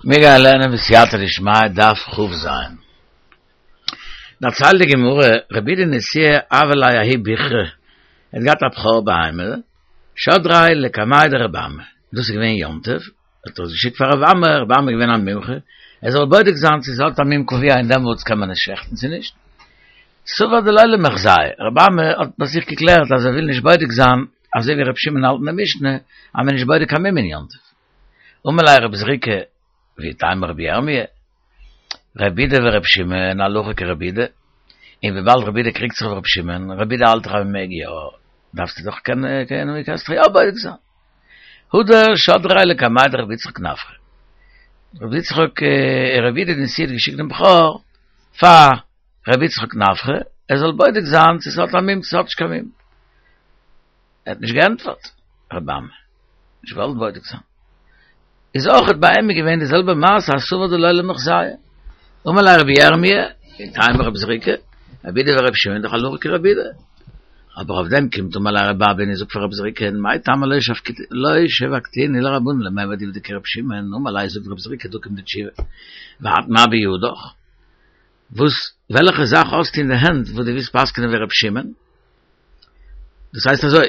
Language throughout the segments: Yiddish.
מיר גייען לערנען בסייעתא דשמיא דף כ"ז. דערציילט די גמרא, רבי יהודה נשיאה הוה ליה ההוא ביכרא, ער האט געהאט א בכור בהמה, שדריה לקמיה דרבי אמי, דאס איז געווען יום טוב, האט ער עס געשיקט פאר רבי אמי, רבי אמי איז געווען א מומחה, ער זאל בודק זיין צו ס'האט א מום קבוע און דעמאלטס קען מען עס שעכטן צו נישט. סבר דלא למיחזייה, רבי אמי האט ביי זיך געקלערט אז ער וויל נישט בודק זיין אזוי ווי רבי שמעון האלט אין די משנה אז מען איז נישט בודק קיין מום אין יום טוב. אמר ליה רבי זריקא, ואיתימא רבי ירמיה, רבי יהודה ורבי שמעון הלכה כרבי יהודה, און וויבאלד רבי יהודה קריגט זיך אויף רבי שמעון, רבי יהודה האלט דאך אז מען מעג יא, דארפסטו דאך קענען, קענסט דאך יא בודק זיין. הדר שדריה לקמיה דרבי יצחק נפחא. רבי יצחק, רבי יהודה נשיאה האט געשיקט דעם בכור פאר רבי יצחק נפחא, ער זאל בודק זיין צו ס'האט א מום צו ס'האט נישט קיין מום. ער האט נישט געענטפערט, רבי אמי, נישט געוואלט בודק זיין. איז אויכעט ביי אים געווען די זעלבע מעשה אז סבר דלא למיחזייה. אמר ליה רבי ירמיה, ואיתימא רבי זריקא, רבי יהודה ורבי שמעון דאך הלכה כרבי יהודה. אבער אויף דעם קומט אמר ליה רבי אבא און זאגט פאר רבי זריקא, מאי טעמא לא שבקתינהו לרבנן למימר דעובדא כרבי שמעון, אמר ליה זאגט רבי זריקא דא קומט די תשובה, ואת מה בידך? וואס וועלכע זאך האסטו אין די הענט וואס דו ווילסט פסק'נען ווי רבי שמעון? דאס הייסט אזוי,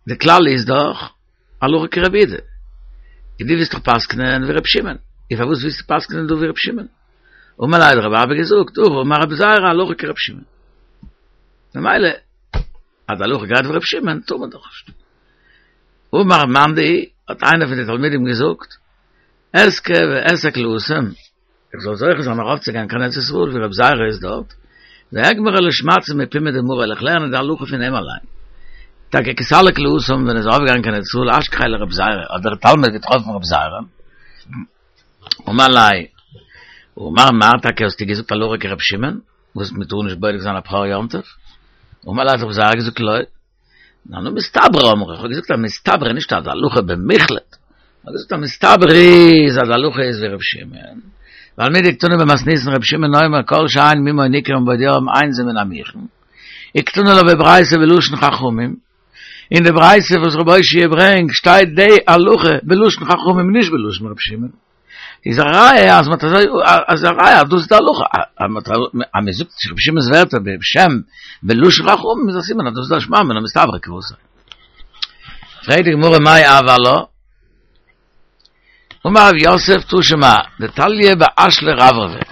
די כלל איז דאך הלכה כרבי יהודה, און דו ווילסט דאך פסק'נען ווי רבי שמעון, און פארוואס ווילסטו פסק'נען דא ווי רבי שמעון? אמר ליה האט רבי אבא געזאגט, הכי אמר רבי זירא הלכה כרבי שמעון. ממילא אז די הלכה גייט ווי רבי שמעון טאר מען דאך נישט. אמר מאן דהוא, האט איינער פון די תלמידים געזאגט, אזכה ואסק להתם, איך זאל זוכה זיין ארויפצוגיין קיין ארץ ישראל ווי רבי זירא איז דארט, ואגמרה לשמעתתא מפומיה דמריה, וועל איך לערנען די הלכה פון אים אליין. טאקע כי סליק להתם ווען ער איז ארויפגעגאנגען קיין ארץ ישראל אשכחיה לרבי זירא, האט דער תלמיד געטראפן רבי זירא, אמר ליה, אמר מר טאקע האסטו געזאגט הלכה כרבי שמעון, וואס מען טאר נישט בודק זיין א בכור יום טוב? אמר ליה האט רבי זירא געזאגט לא. אנא מסתברא אמרי, איך האב געזאגט א מסתברא, נישט אז הלכה במוחלט, איך האב געזאגט א מסתברא איז אז הלכה איז ווי ר' שמעון, ווייל מדקתני במתניתין ר' שמעון אומר כל שאין מומו ניכר מבעוד יום אין זה מן המוכן, וקתני לה בברייתא בלשון חכמים, אין די ברייתא וואס ר' אושעיא ברענגט שטייט די הלכה בלשון חכמים נישט בלשון ר' שמעון. איז א ראיה אז מ'האט אזוי אז א ראיה אז דאס איז די הלכה אז מ'האט אז מ'זאגט רבי שמעון'ס ווערטער בשם בלשון חכמים איז א סימן אז דאס איז א שמע מינה מסתברא כוותיה. פרעגט די גמרא מאי הוי עלה? אמר רב יוסף תא שמע דתליא באשלי רברבי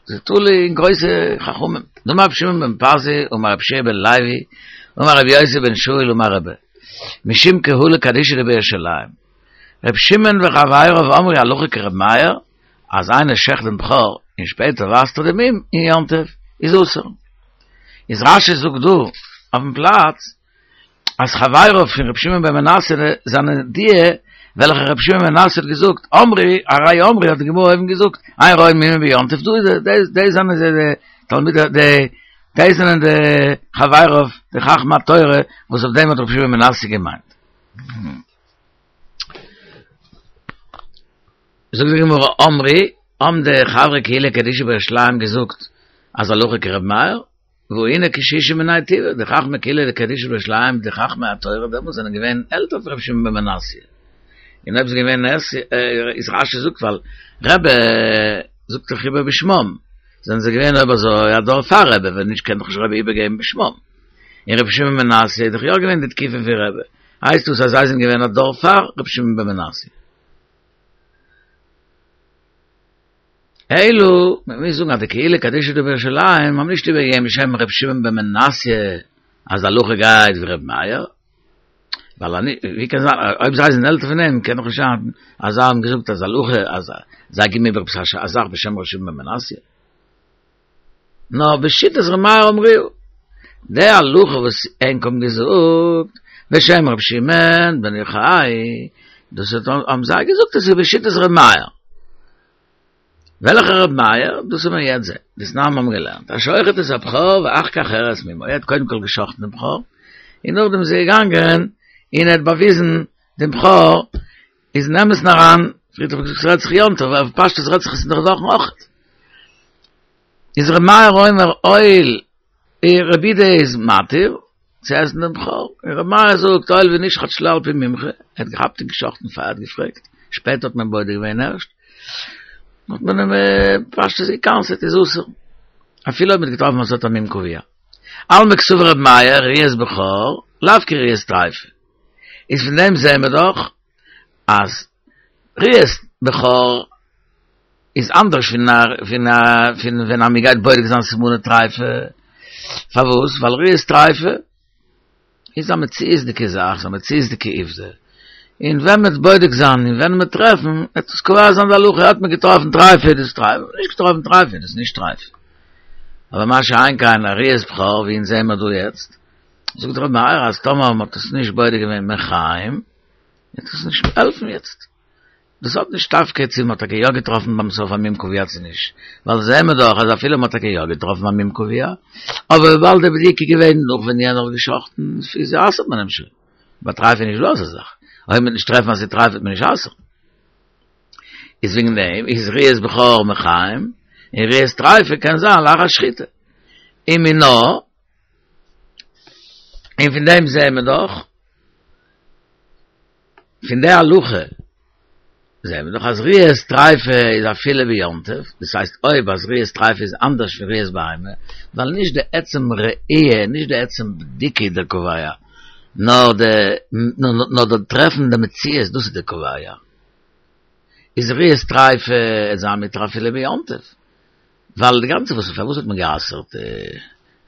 ס'איז תלוי אין גרויסע חכמים דאמר רבי שמעון בן פזי אמר רבי יהושע בן לוי אמר רבי יוסי בן שאול אמר רבי משום קהלא קדישא דבירושלים ר' שמעון וחבריו אמרו הלכה כר' מאיר, אז איינער שעכט דעם בכור און שפעטער ווייזט ער דעם מום אין יום טוב איז אסור. איז רש"י זאגט דא אויפן פלאץ אז חבריו פון ר' שמעון בן מנסיא זענען די וועלכע ר' שמעון בן מנסיא האט געזאגט אמרו הרי אמרו האט די גמרא אויבן געזאגט אין רואין מומין ביום טוב דא איז די זענען זיי די תלמידי די די זענען די חבריו די חכמי התורה וואס אויף דעם האט ר' שמעון בן מנסיא געמיינט. זאגט די גמרא אמרי, האבן די חברי קהילה קדישא בירושלים געזאגט אז הלכה כר' מאיר, והא נהו קשישי מינייהו טובא, די חכמי קהילה קדישא בירושלים, די חכמי התורה דעמאלטס זענען געווען עלטער פון ר' שמעון בן מנסיא, און אויב ס'איז געווען נס, איז רש"י זאגט ווייל רבי זאגט דאך איבער בשמם, זענען זיי געווען אויב אזוי א דור פאר רבי, ווען נישט קען דאך נישט רבי איבערגעבן בשמם, און ר' שמעון בן מנסיא איז דאך יא געווען די תקופה פון רבי. הייסט דאס אז זיי זענען געווען א דור פאר רבי שמעון בן מנסיא. אלא, מען מוז זאגן אז די קהילה קדישא דבירושלים האבן נישט איבערגעגעבן בשם רבי שמעון בן מנסיא אז די הלכה גייט ווי רבי מאיר, ווייל אני, ווי קען זיין, אויב זיי זענען עלטער פון אים קען דאך נישט זיין אז זיי האבן געזאגט אז הלכה אז זיי גיבן איבער עפעס א זאך בשם רבי שמעון בן מנסיא. נאר בשיטת ר' מאיר אמרוה, די הלכה וואס ענק האבן געזאגט בשם ר' שמעון בן יוחאי, דאס האבן זיי געזאגט עס איז בשיטת ר' מאיר. וועלכע ר' מאיר? דאס וועט מען יעצט זען. דתנן מיר האבן געלערנט, השוחט את הבכור ואחר כך הראה את מומו, ער האט קודם כל גע'שחט'ן דעם בכור, און נאכדעם איז ער געגאנגען און ער האט באוויזן דעם בכור איז אין אמת'ן אריין, פריערט האב איך געזאגט ס'רעדט זיך יום טוב, אבער פשטות רעדט זיך עס אינדערוואכן אויך. איז ר' מאיר אומר הואיל רבי יהודה איז מתיר צו עסן דעם בכור, און ר' מאיר זאגט הואיל ונשחט שלא על פי מומחה, ער האט געכאפט און געשחט'ן פאר ער האט געפרעגט, שפעטער האט מען בודק געווען ערשט. האט מען אים פשטות גע'קנס'עט איז אסור. אפילו אויב מ'האט געטראפן אז ס'האט א מום קבוע. אלמא קסבר רבי מאיר ראיית בכור לאו כראיית טריפה. איז פון דעם זעהן מיר דאך אז ראיית בכור איז אנדערש פון א פון א פון ווען א מ'גייט בודק זיין סימני טריפה. פארוואס? ווייל ראיית טריפה איז א מציאות'דיגע זאך, ס'איז א מציאות'דיגע עובדה. און ווען מ'וועט בודק זיין און ווען מ'וועט טרעפן, וועט עס קובע זיין די הלכה, האט מען געטראפן טרייפה איז דאס טרייפה, נישט געטראפן טרייפה איז דאס נישט טרייפה. אבער מה שאין כן א ראיית בכור, ווי אונז זעהן מיר דא יעצט, זאגט ר' מאיר אז טאמער מ'האט עס נישט בודק געווען מחיים, וועט עס נישט העלפן יעצט. דאס האט נישט דווקא צו מ'האט טאקע יא געטראפן ביים סוף א מום קבוע צו נישט, ווייל זעהן מיר דאך אז אפילו מ'האט טאקע יא געטראפן א מום קבוע, אבער וויבאלד די בדיקה איז געווען נאך ווען יענער האט גע'שחט'ן, איז אסר'ט מען אים שוין. ביי טרייף איז נישט דא אזא זאך. אויב מ'וועט נישט טרעפן אז ס'איז טרייף וועט מען נישט אסר'ן. איז וועגן דעם איז ראיית בכור מחיים, און ראיית טרייפה קען זיין לאחר שחיטה. ומינה, און פון דעם זעהן מיר דאך, פון די הלכה זעהן מיר דאך אז ראיית טריפה איז אפילו ביום טוב, דאס הייסט אויב אז ראיית טריפה איז אנדערש פון ראיית בהמה, ווייל נישט די עצם ראי', נישט די עצם בדיקה איז דער קובע, נאר די נאר די טרעפן די מציאות דאס איז די קובע. איז ראיית טריפה איז זיין מותר אפילו ביום טוב. ווייל די גאנצע וואס פארוואס האט מען גע'אסר'ט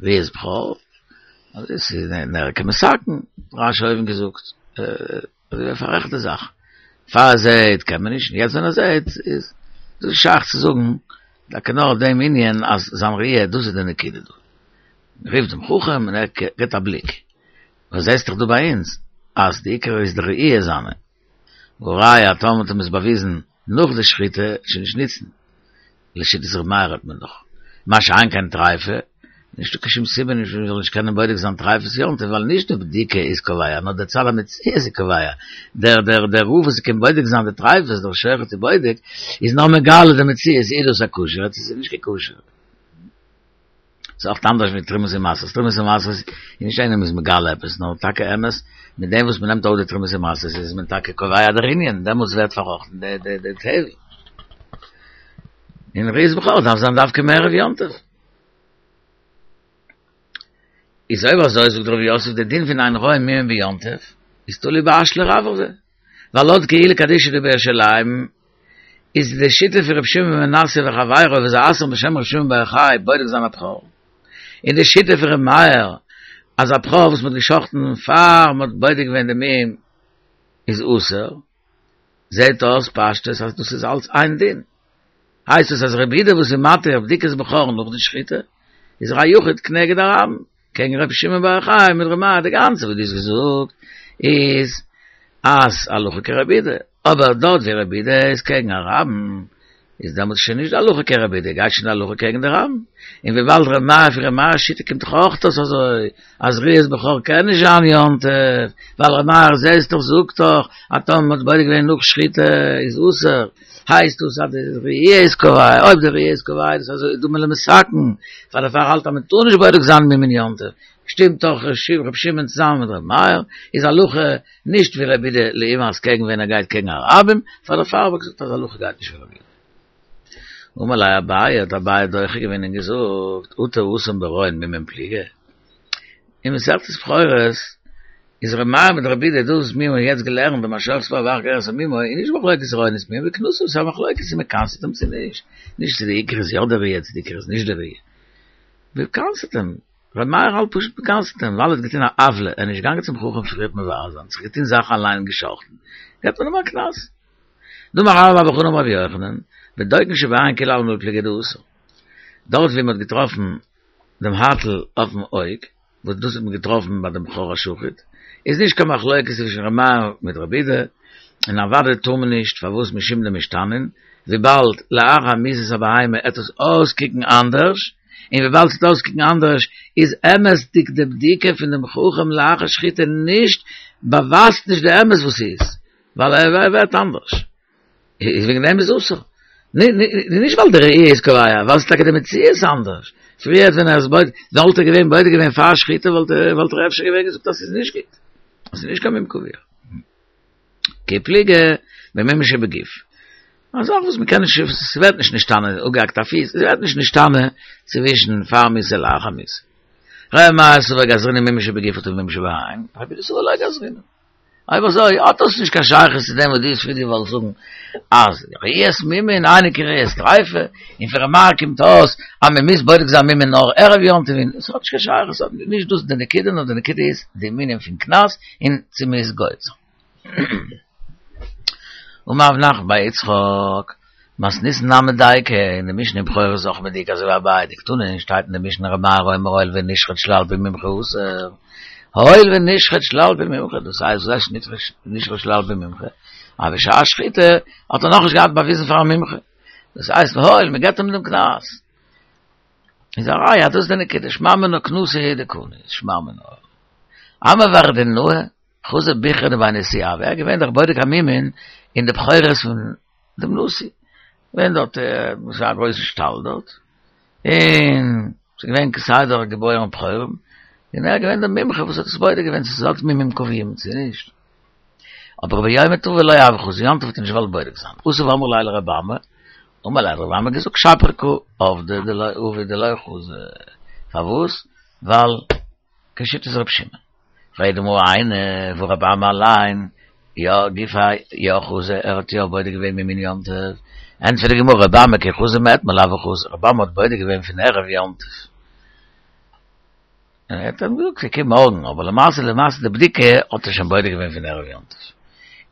ראיית בכור? אז עס איז נראה כמתקן, רש"י אויבן געזאגט, אזוי ווי א פאררעכטע זאך, פאר ער זעהט קען מען נישט, און יעצט ווען ער זעהט איז דאס שייך צו זאגן טאקע נאר דעם ענין אז זיין ראי' דאס איז די נקודה דא. מען רופט דעם חכם און ער גיבט א בליק, וואס זעסט דאך דא ביי אונז אז די עיקר איז די ראי' זיינע, והראיה טאמער האט אים עס באוויזן נאך די שחיטה שוין נישט ניצן, לשיטת ר' מאיר האט מען דאך מה שאין כן טריפה, נישטא קיין שום סיבה נישט מ'זאל נישט קענען בודק זיין טריפות יום טוב ווייל נישט די בדיקה איז קובע נאר די צד המציאות איז קובע, דער דער דער רב וואס קען בודק זיין די טריפות דער שוחט ובודק איז נאר מגלה די מציאות איז דאס א כשר'ע צו ס'איז נישט קיין כשר'ע. ס'איז אויך אנדערש ווי תרומות ומעשרות, תרומות ומעשרות איז נישט איינער איז מגלה עפעס, נאר טאקע אמת, מיט דעם וואס מ'נעמט אויף די תרומות ומעשרות איז מען טאקע קובע דער ענין, דעמאלטס ווערט פארראכטן די די די טבל. און ראיית בכור דארף זיין דווקא מערב יום טוב. איז אויב אזוי זאגט רב יוסף די דין פון אין רואין מומין ביום טוב איז תלוי באשלי רברבי, ווייל לויט קהילה קדישא דבירושלים איז די שיטה פון רבי שמעון בן מנסיא וחביריו וואס זיי אסר'ן בשם רבי שמעון בר יוחאי בודק זיין א בכור, און די שיטה פון רבי מאיר אז א בכור וואס מ'האט גע'שחט'ן פאר מ'האט בודק געווען די מום איז אסור, זעהט אויס פשטות אז דאס איז אלץ איין דין. הייסט עס אז רבי יהודה וואס איז מתיר בדיקת בכור נאך די שחיטה איז ער א יחיד כנגד הרבים, קעגן רבי שמעון בר יוחאי מיט רבי מאיר, די גאנצע וואס דו האסט געזאגט איז אז הלכה כרבי יהודה, אבער דארט ווי רבי יהודה איז קעגן א רבים איז דעמאלטס שוין נישט די הלכה כרבי יהודה, גייט שוין די הלכה קעגן די רבים, און וויבאלד רבי מאיר פון רבי מאיר'ס שיטה קומט דאך אויך אויס אזוי אז ראיית בכור קען נישט זיין יום טוב, ווייל רבי מאיר זעסט דאך זאגט דאך אז טאמער מ'האט בודק געווען נאך שחיטה איז אסור. הייסט דאס אז די ראי' איז קובע, אויב די ראי' איז קובע איז אזוי דומה למתקן, פאר דערפאר האלט אז מען טאר נישט בודק זיין מומין יום טוב, שטימט דאך ר' שמעון צוזאמען מיט ר' מאיר, איז הלכה נישט ווי רבי יהודה לעומת קעגן ווען ער גייט קעגן א רבים, פאר דערפאר האב איך געזאגט אז הלכה גייט נישט ווי רבי יהודה. אמר ליה אביי, האט אביי דוחה געווען און געזאגט, אטו התם ברואין מומין פליגי? אין מסכת בכורות איז ר' מאיר מיט רבי יהודה דאס וואס מיר האבן יעצט געלערנט ביים השוחט את הבכור ואחר כך יראה את מומו איז נישט מחלוקת רואין את מומו וקנסו ס'איז א מחלוקת צו מ'קנס'ט אים צו נישט, נישט צו די עיקר איז יא די ראיה צו די עיקר איז נישט די ראיה. מ'קנס'ט אים, ר' מאיר האלט פשוט מ'קנס'ט אים ווייל ער האט געטון א עוולה, ער איז נישט געגאנגען צום חכם פריערט מברר זיין, זיך געטון זאכן אליין און גע'שחט'ן, געבט מען אים א קנס. דאמר רבה בר בר חנה אמר רבי יוחנן, בדוקין שבעין כולי עלמא לא פליגי דאסור. דארט ווי מ'האט געטראפן דעם הייטל אויפן אויג, וואס דאס האט מען געטראפן ביי דעם בכור השחוט, איז נישט קיין מחלוקת צווישן ר' מאיר מיט רבי יהודה, און אוודאי טאר מען נישט, פארוואס משום דמשתנין, וויבאלד לאחר מיתת הבהמה עט עס אויסקוקן אנדערש, און וויבאלד ס'עט אויסקוקן אנדערש איז אמת'דיג די בדיקה פון דעם חכם לאחר שחיטה נישט, באווייזט נישט די אמת וואס ס'איז, ווייל ער ווערט אנדערש. איז וועגן דעם איז אסור. נישט ווייל די ראי' איז קובע, ווייל ס'איז טאקע די מציאות אנדערש. פריער ווען ער איז בודק, וואלט ער געווען בודק געווען פאר שחיטה וואלט ער וואלט ער אפשר געווען געזאגט אז ס'איז נישט גוט. אז ס'איז נישט קיין מום קבוע. כי פליגי במום שבגוף. א זאך וואס מ'קען נישט, ס'ווערט נישט נשתנה, אפגעהאקט א פיס, ס'ווערט נישט נשתנה צווישן פאר מיתה לאחר מיתה. ר' מאיר סבר גזרינן מומין שבגוף מומין שבעין, רבי יהודה סבר לא גזרינן. אויב אזוי האט דאס נישט קיין שייכות צו דעם וואס דו האסט פריער געוואלט זאגן אז ראיית מומין אינה כראיית טריפה, און פון ר' מאיר קומט אויס אז מען מוז בודק זיין מומין נאר ערב יום טוב, און עס האט נישט קיין שייכות, נישט דאס די נקודה, נאר די נקודה איז די ענינים פון קנס און צו מען איז גוזר. אמר רב נחמן בר יצחק, מתניתין נמי דייקא, אין די משנה אין בכורות איז אויך מדויק אזוי ווי אביי דקתני שטייט אין די משנה ר' מאיר אומר הואיל ונשחט שלא על פי מומחה אסור, הואיל ונשחט שלא על פי מומחה, דאס הייסט וואס הייסט נשחט שלא על פי מומחה? אז בשעת שחיטה האט ער נאכנישט געהאט באוויזן פאר א מומחה, דאס הייסט הואיל מען געבט אים דעם קנס. איז א ראיה אז דאס איז די נקודה, שמע מינה קנסא הוא דקני, שמע מינה. אמר ורדינהו, חזי ביכרא דבי נשיאה הוה, ער איז געווען דער בודק המומין אין די בכורות פון דעם נשיא, געווען דארט ס'איז א גרויסע שטאל דארט, און ס'איז געווען כסדר געבוירן בכורים, און ער איז געווען דער מומחה וואס האט עס בודק געווען צו ס'האט מומים קבועים צו נישט. אבער ביומא טבא לא הוה חזי, יום טוב האט ער נישט געוואלט בודק זיין, אתא ואמרי ליה לרבי אמי, אמר ליה האט רבי אמי געזאגט שפיר קא עבדי דלא עביד דלא חזי, פארוואס? ווייל כשיטת רבי שמעון. פרעגט די גמרא איני והא רבי אמי אליין, יא גופיה יא חזי, ער האט יא בודק געווען מומין יום טוב, ענטפערט די גמרא רבי אמי כי חזי מאתמול הוה חזי, רבי אמי האט בודק געווען פון ערב יום טוב, און ער האט אים געזאגט קום מארגן, אבער למעשה למעשה די בדיקה האט ער שוין בודק געווען פון ערב יום טוב.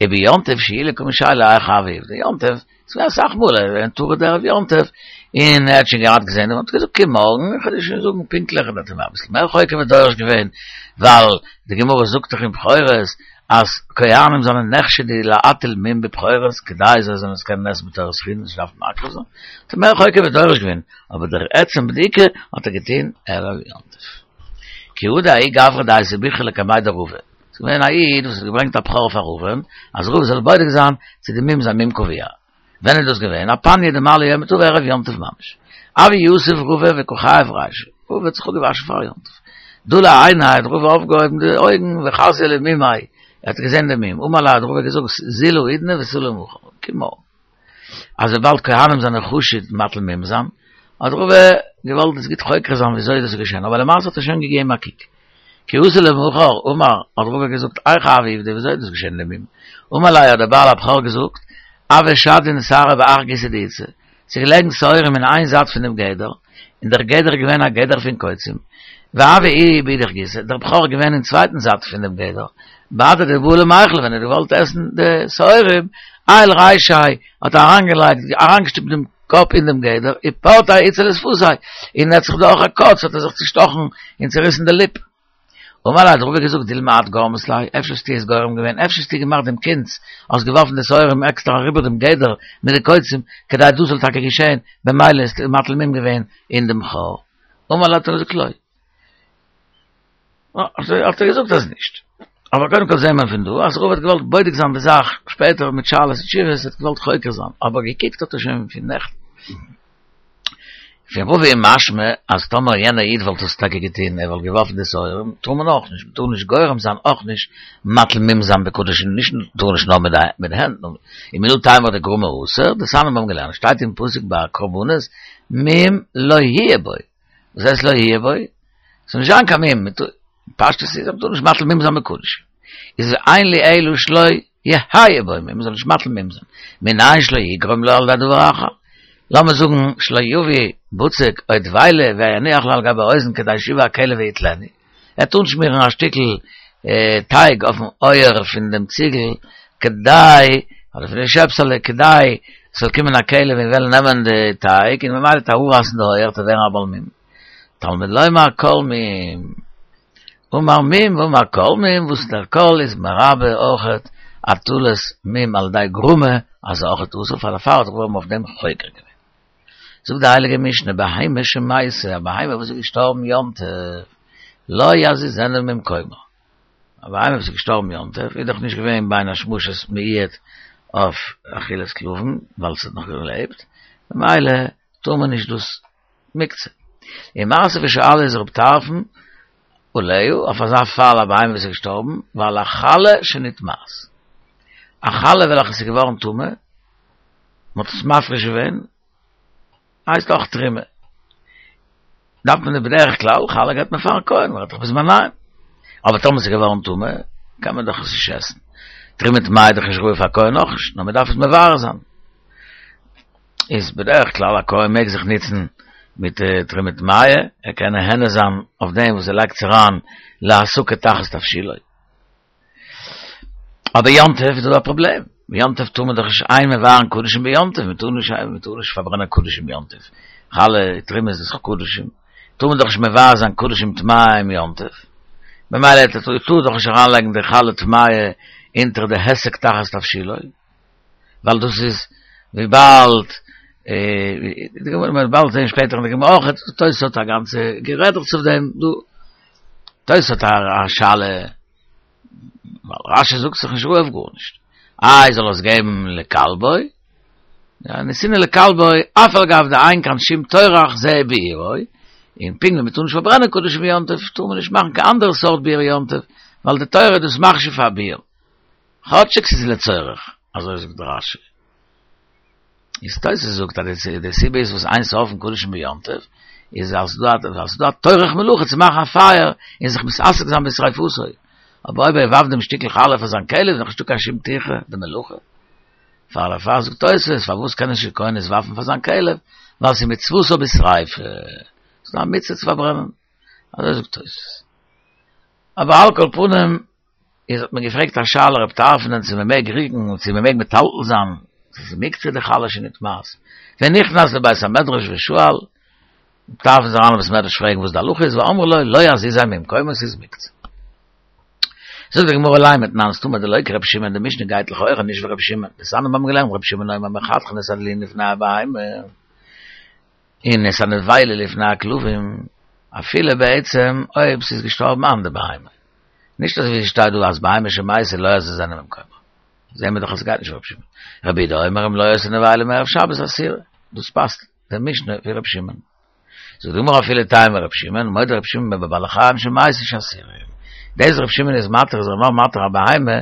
וביום טוב שאי לקומי שאלה היכי הוה עובדא, יום טוב ס'איז געווען אסאך מאל ער איז געווען טרוד ערב יום טוב, און ער האט שוין געהאט געזען און האט געזאגט קום מארגן איך וועל דיר שוין זאגן פונקטליך און האט אים אביסל מער חוקר ודורש געווען, ווייל די גמרא זאגט דאך אין בכורות אז כהנים זענען נחשדו להטיל מום בבכורות כדי זיי זאלן עס קענען עסן בתורת חולין נישט דארפן מקריב זיין, האט ער מער חוקר ודורש געווען, אבער דער עצם בדיקה האט ער געטון ערב יום טוב. כי הא דההוא גברא דאייתי ביכרא לקמיה דרבא. ס'איז געווען א איד וואס האט געברענגט א בכור פאר רבא'ן, אז רבא זאל בודק זיין צו די מום איז א מום קבוע. ווען איז דאס געווען? אפניא דמעלי יומא טבא ערב יום טוב ממש. הוה יתיב רבא וקא חייף רישיה. רבא האט זיך אפגעוואשן פאר יום טוב. דלי עיניה האט רבא אויפגעהויבן די אויגן וחזייה למומיה, ער האט געזען די מום. אמר ליה האט רבא געזאגט זיל האידנא ותא למחר, קום מארגן. אז וויבאלד כהנים זענען חשוד מטיל מום זיין, האט רבא געוואלט עס גוט חוקר זיין וויאזוי דאס איז געשען, אבער למעשה האט ער שוין געגעבן א קוק. כי אתא למחר, אמר, האט רבא געזאגט, היכי הוה עובדא, וויאזוי איז דאס געשען די מום? אמר ליה האט דער בעל הבכור געזאגט, הוו שדאין שערי בהך גיסא דאיתתא, ס'איז געלעגן שעורים אין איין זייט פון דעם גדר, און דער גדר איז געווען א גדר פון קוצים, והוה איהו באידך גיסא, דער בכור איז געווען אין צווייטן זייט פון דעם גדר, בהדי דבעי למיכל, ווען ער האט געוואלט עסן די שעורים, עייל רישיה, האט ער אריינגעלייגט, אריינגעשטופט דעם קאפ אין דעם גדר, ופרטיה איתתא לשפתיה, און ער האט זיך דורך א קוץ האט ער זיך צושטאכן און צוריסן די ליפ. אמר ליה האט רבא געזאגט דילמא את גרמת ליה, אפשר האסטו עס גורם געווען, אפשר האסטו געמאכט דעם קונץ, האסט געווארפן די שעורים עקסטער אריבער דעם גדר מיט די קוצים, כדי דאס זאל טאקע געשען, במילא האסטו מטיל מום געווען אין דעם בכור. אמר ליה האט ער געזאגט לא. האט ער געזאגט אז נישט. אבער קודם כל זעהן מיר פון דא אז רבא האט געוואלט בודק זיין די זאך שפעטער מיט שאלות ותשובות, האט געוואלט חוקר זיין, אבער געקוקט האט ער שוין פון נעכטן. פון רבא איז משמע אז טאמער יענער איד וואלט עס טאקע געטון, ער וואלט געווארפן די שעורים, טאר מען אויך נישט, מ'טאר נישט גורם זיין אויך נישט מטיל מום זיין בקדשים, נישט טאר נישט נאר מיט די הענט, ומנא תימא דגרמא אסור, דתניא מיר האבן געלערנט, שטייט אין פסוק ביי קרבנות, מום לא יהיה בו, וואס הייסט לא יהיה בו? ס'זאל נישט זיין קיין מום, פשטות איז אז מ'טאר נישט מטיל מום זיין בקדשים, איז אין לי אלא שלא יהא בו מום, מ'זאל נישט מטיל מום זיין, מנין שלא יגרום לו על ידי דבר אחר, לאמיר זאגן שלא יביא בצק או דבילה ויניח לו על גבי האוזן כדי שיבא הכלב ויטלנו, ער וועט אנשמירן א שטיקל טייג אויפן אויער פון דעם ציגל כדי, אדער פון די שעפסעלע, כדי ס'זאל קומען א כלב און וועלן נעמען די טייג און ממילא וועט ער אראפרייסן די אויער וועט ער ווערן א בעל מום. תלמוד לומר כל מום. אמר מום ואמר כל מום, וואס דער כל איז מרבה אויכעט הטלת מום על ידי גרמא, אז אויכעט אסור פאר דערפאר האט רבא אויף דעם חוקר געווען. זאגט די הייליגע משנה, בהמה שמתה, א בהמה וואס איז געשטארבן יום טוב, לא יזיזנה ממקומה. א בהמה וואס איז געשטארבן יום טוב איז דאך נישט געווען בין השמשות מועד אויף אכילת כלבים, ווייל עס האט נאך געלעבט, ממילא טאר מען נישט דאס מוקצה. ומתיב ושאלה איז רב טרפון עליה, אויף אזא פאל א בהמה וואס איז געשטארבן, ועל החלה שנטמאת. א חלה וועלכע איז געווארן טמא. מ'האט עס מפריש געווען, הייסט אויך תרומה. דארף מען בדרך כלל, חלה געבט מען פארן כהן, מ'רעדט דאך בזמניהם. אבער טאמער ס'איז געווארן טמא, קען מען דאך עס נישט עסן. תרומה טמאה איז דאך נישט ראוי פאר כהן אויך נישט, נאר מ'דארף עס מברר זיין. איז בדרך כלל א כהן מעג זיך נוצן מיט תרומה טמאה, ער קען נהנה זיין אויף דעם וואס ער לייגט עס אריין להסקה תחת תבשילו. אבער יום טוב איז דא א פראבלעם, יום טוב טאר מען דאך נישט אין מבערין קדשים ביום טוב, מען טאר נישט מען טאר נישט פארברענען קדשים יום טוב, חלה תרומה איז דאך קדשים, טאר מען דאך נישט מבער זיין קדשים טמאים יום טוב, ממילא טאר דאך נישט אריינלייגן די חלה טמאה אונטער די היסק תחת תבשילו. ווייל דאס איז וויבאלד די גמרא מ'וועט באלד זען שפעטער אין די גמרא אויך תוס' האט א גאנצע גערעדעכץ אויף דעם דא תוס' האט א שאלה ווייל רשי זאגט ס'איז נישט ראוי אויף גארנישט איי זאל ער עס געבן לכלבו יא נתינה לכלבו אף על גב דאין כאן שום טורח זה ביעורו און פונקט ווי מ'טאר נישט פארברענען קדשים יום טוב טאר מען נישט מאכן קיין אנדערע סארט ביעור יום טוב ווייל די תורה איז דאס מכשיר פאר ביעור כאטשיג ס'איז לצורך, אזוי זאגט רשי. איז תוס' זאגט אז די סיבה איז וואס אין שורפין קדשים ביום טוב, איז ווייל ס'איז דא א טורח מלאכה צו מאכן א פייער און זיך מתעסק זיין בשריפתו. אבער אויב ער ווארפט דעם שטיקל חלה פאר זיין כלב איז דאך נישטא קיין שום טירחא דמלאכה. פאר דערפאר זאגט תוס' פארוואס קען נישט די כהן עס ווארפן פאר זיין כלב, ווייל ס'איז מצותה בשריפה. ס'איז דא א מצוה צו פארברענען. אזוי זאגט תוס'. אבער על כל פנים איז האט מען געפרעגט א שאלה רב טרפון צו מען מעג ריקן צו מען מעג מטלטל זיין צו ס'איז מוקצה די חלה שנטמאת ונכנס לבית המדרש ושאל רב טרפון איז אריין אין בית המדרש פרעגן וואס די הלכה איז ואמרו לו לא יזיזו ממקומו ס'איז מוקצה זאגט די גמרא לימא תנן סתמא דלא כרבי שמעון די משנה גייט לכאורה נישט ווי רבי שמעון דתנן מיר האבן געלערנט רבי שמעון אומר מחתכין את הדלועין לפני הבהמה און את הנבילה לפני הכלבים, אפילו בעצם אויב ס'איז געשטארבן אן די בהמה. נישט אזוי ווי ס'שטייט דא אז בהמה שמתה לא יזיזנה ממקומה. זעהן מיר דאך אז ס'גייט נישט ווי רבי שמעון. רבי יהודה אומר אם לא היתה נבילה מערב שבת אסורה. דאס פאסט די משנה ווי רבי שמעון. זאגט די גמרא אפילו תימא רבי שמעון, מודה רבי שמעון בבעלי חיים שמתו שאסורים. דאס רבי שמעון איז מתיר איז ער נאר מתיר א בהמה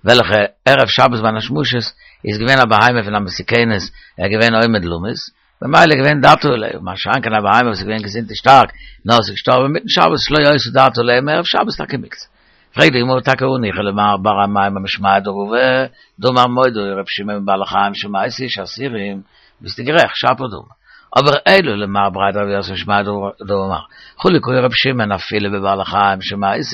וועלכע ערב שבת בין השמשות איז געווען א בהמה פון א מסוכנת, ער איז געווען עומד למות, במילא איז געווען דעתו עליה, מה שאין כן א בהמה וואס איז געווען געזונט און שטארק, נאר עס איז געשטארבן אינמיטן שבת שלא היתה דעתו עליה מערב שבת טאקע מוקצה. פרעגט די גמרא טאקע הניחא למר בר אמימר משמיה דרבא, דאמר מודה ר' שמעון בבעלי חיים שמתו שאסורים, ביסטו גערעכט, שפיר דאמר. אבער אלא למר בריה דרב יוסף משמיה דרבא דאמר חלוק היה ר' שמעון אפילו בבעלי חיים שמתו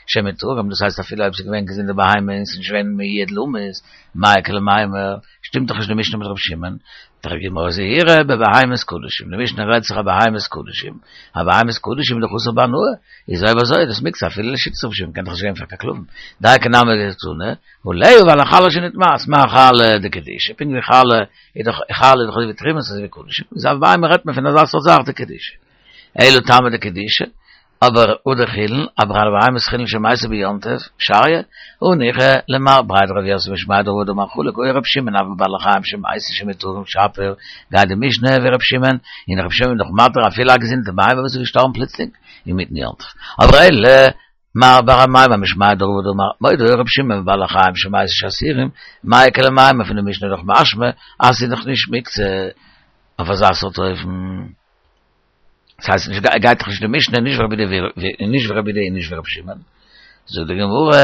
שמותרים, דאס הייסט אפילו אויב ס'איז געווען געזונטע בהמה און ס'איז נישט געווען מועד למות, מאי איכא למימר, שטימט דאך נישט די משנה מיט ר' שמעון, זאגט די גמרא זהירא בבהמות קדשים, די משנה רעדט זיך אויף בהמות קדשים, א בהמות קדשים איז דאך אסור בהנאה, איז אויב אזוי איז דאס מוקצה אפילו לשיטת ר' שמעון קען דאך נישט גיין פאר קיין כלבים, דייקא נמי דקתני, עליה ועל החלה שנטמאת, מה חלה דקדישא, פונקט ווי חלה איז דאך חלה איז דאך אזוי ווי תרומה אזוי ווי קדשים, איז אויף בהמה רעדט מען פון אזא סארט זאך דקדישא. אלא טעמא דקדישא, אבער הא דחולין, אבער בהמות חולין שמתו ביום טוב, שריא, הניחא למר בריה דרב יוסף משמיה דרבא דאמר חלוק היה רב שמעון אף בבעלי חיים שמתו שמותרים שפיר, גייט די משנה ווי רב שמעון, און רב שמעון איז דאך מתיר אפילו א געזונטע בהמה וואס איז געשטארבן פלוצלינג אינמיטן יום טוב, אבער אלא מר בר אמימר משמיה דרבא דאמר מודה היה רב שמעון בבעלי חיים שמתו שאסורים, מאי איכא למימר פון די משנה איז דאך משמע אז ס'איז דאך נישט מוקצה אויף אזא סארט אופן. דאס הייסט נישט גייט דאך נישט די משנה נישט ווי רבי יהודה נישט ווי רבי יהודה און נישט ווי רבי שמעון זאגט די גמרא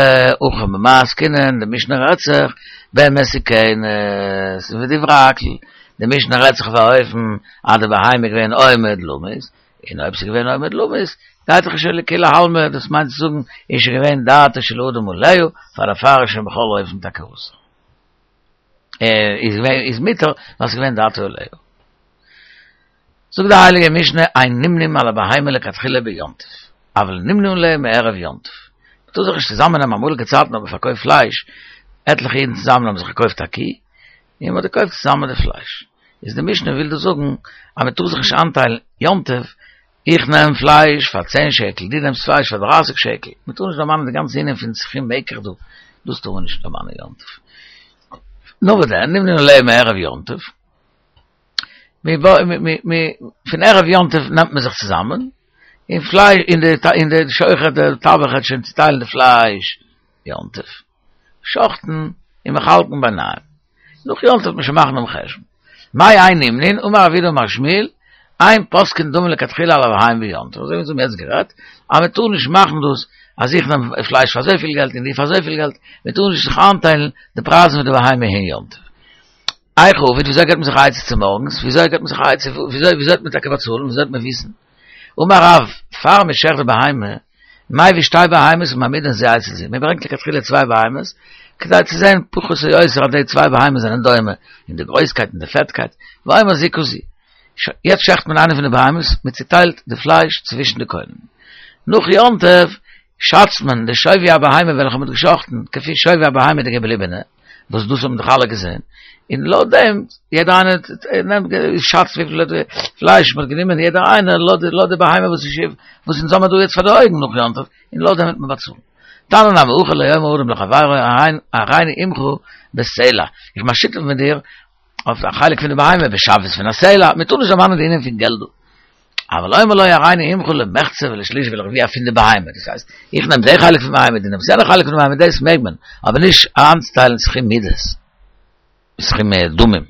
הכא במאי עסקינן די משנה רעדט זיך במסוכנת ודברי הכל די משנה רעדט זיך אויף אן אופן אז די בהמה איז געווען עומד למות און אויב ס'איז געווען עומד למות גייט דאך שוין לכולי עלמא דאס מיינט צו זאגן איז שוין געווען דעתו של אדם עליה פאר דערפאר איז שוין בכל אופן טאקע אסור איז געווען איז מותר ווייל ס'איז געווען דעתו עליה זאגט די הייליגע משנה אין נמנים על הבהמה לכתחילה ביום טוב, אבל נמנים עליה מערב יום טוב. מ'טאר זיך נישט צוזאמען נעמען, אמאליגע צייטן האט מען פארקויפט פלייש, עטליכע אידן צוזאמען האבן זיך געקויפט א קי, און מ'האט געקויפט צוזאמען די פלייש. איז די משנה וויל דא זאגן אז מ'טאר זיך נישט איינטיילן יום טוב, איך נעם פלייש פאר צען שקל, דו נעמסט פלייש פאר דרייסיג שקל, מ'טאר נישט דערמאנען די גאנצע ענין פון סכום מקח דא, דאס טאר מען נישט דערמאנען יום טוב. נאר וואס דען, נמנים עליה מערב יום טוב. פון ערב יום טוב נעמט מען זיך צוזאמען, און פלייש, און די, און די שוחט, דער טבח וועט שוין צוטיילן די פלייש יום טוב, שחט'ן און מחלק'ן ביניהם. נאך יום טוב וועט מען שוין מאכן דעם חשבון. מאי אין נמנין, אמר רב יהודה אמר שמואל, אין פוסקין דמים לכתחילה על הבהמה ביום טוב, אזוי ווי אונז האבן יעצט גערעדט, אז מען טאר נישט מאכן דאס אז איך נעם פלייש פאר אזויפיל געלט און דו פאר אזויפיל געלט, מען טאר נישט זיך איינטיילן די פרייזן פון די בהמה אין יום טוב. איך עביד, וויאזוי געבט מען זיך א עצה צומארגנס, וויאזוי געבט מען זיך א עצה, וויאזוי וועט מען טאקע באצאלן, וויאזוי וועט מען וויסן? אמר רב, פאר מען שעכט די בהמה, מביא שתי בהמות ומעמידן זו אצל זו, מען ברענגט לכתחילה צוויי בהמות, כדי צו זען פחות או יותר אז די צוויי בהמות זענען דומה אין די גרויסקייט און די פעטקייט, ואומר זו כזו. יעצט שעכט מען איינע פון די בהמות, מען צוטיילט די פלייש צווישן די קונים. נאך יום טוב שאצט מען די שווי הבהמה וועלכע מען האט געשאכטן כפי שווי הבהמה די געבליבענע, וואס דאס האבן דאך אלע געזען, און לויט דעם יעדער איינער נעמט שאצט וויפיל פלייש מען האט גענומען יעדער איינער לויט די בהמה וואס איז וואס אונז האבן דא יעצט פאר די אויגן נאך יום טוב, און לויט דעם וועט מען באצאלן. תניא נמי הכי לא יאמר אדם לחבירו הריני עמך בסלע, איך בין א שותף מיט דיר אויף א חלק פון די בהמה בשוויות פון א סלע, מען טאר נישט דערמאנען די ענין פון געלט דא. אבל אומר לו הריני עמך למחצה ולשליש ולרביע פון די בהמה, דאס הייסט, איך נעם די חלק פון בהמה, דו נעמסט יענע חלק פון די בהמה, דאס מעג מען, אבער נישט איינצוטיילן סכום מידות, סכום דמים.